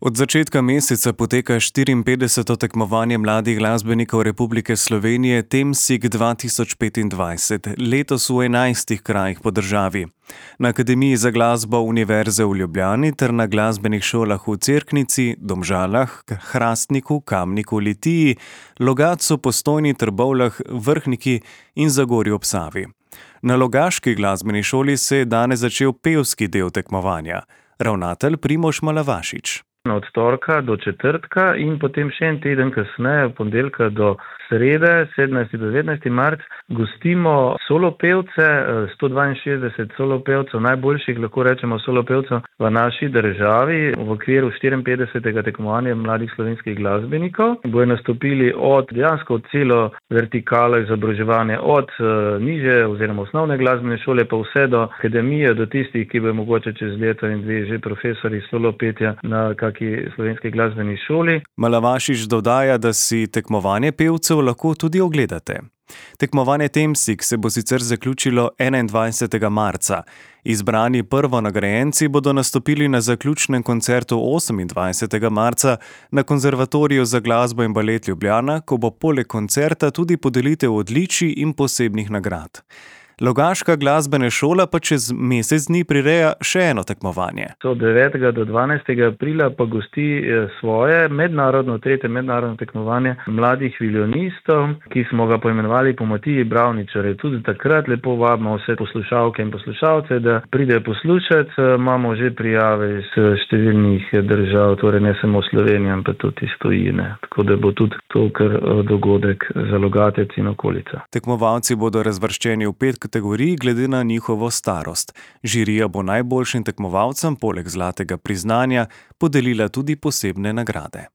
Od začetka meseca poteka 54. tekmovanje mladih glasbenikov Republike Slovenije Temsig 2025, letos v 11 krajih po državi. Na Akademiji za glasbo Univerze v Ljubljani ter na glasbenih šolah v Cerknici, Domžalah, Hrastniku, Kamniku, Litiji, Logatcu, Postojni, Trbovljah, Vrhniki in Zagorju ob Savi. Na logaški glasbeni šoli se je danes začel pevski del tekmovanja. Ravnatelj Primož Malavašič. Od torka do četrtka in potem še en teden kasneje, od ponedeljka do srede, 17. do 19. marec, gostimo solopevce, 162 solopevcev, najboljših, lahko rečemo, solopevcev v naši državi v okviru 54. tekmovanja mladih slovenskih glasbenikov. Bojo nastopili od dejansko celo vertikalo izobraževanja, od nižje oziroma osnovne glasbene šole pa vse do akademije, do tistih, ki bojo mogoče čez leto in dve že profesori solopetja na slovenski glasbeni šoli. Malavašič dodaja, da si tekmovanje pevcev lahko tudi ogledate. Tekmovanje Temsig se bo sicer zaključilo 21. marca. Izbrani prvonagrajenci bodo nastopili na zaključnem koncertu 28. marca na Konzervatoriju za glasbo in balet Ljubljana, ko bo poleg koncerta tudi podelitev odličij in posebnih nagrad. Logaška glasbena šola pa čez mesec dni prireja še eno tekmovanje. Od 9. do 12. aprila pa gosti svoje tretje mednarodno tekmovanje mladih violinistov, ki smo ga poimenovali po Matiji Bravničarju. Tudi takrat lepo vabimo vse poslušalke in poslušalce, da pridejo poslušati. Imamo že prijave iz številnih držav, torej ne samo Slovenije, ampak tudi iz tujine. Tako da bo tudi to kar dogodek za Logatec in okolica. Tekmovalci bodo razvrščeni v 5 kategorij glede na njihovo starost. Žirija bo najboljšim tekmovalcem poleg zlatega priznanja podelila tudi posebne nagrade.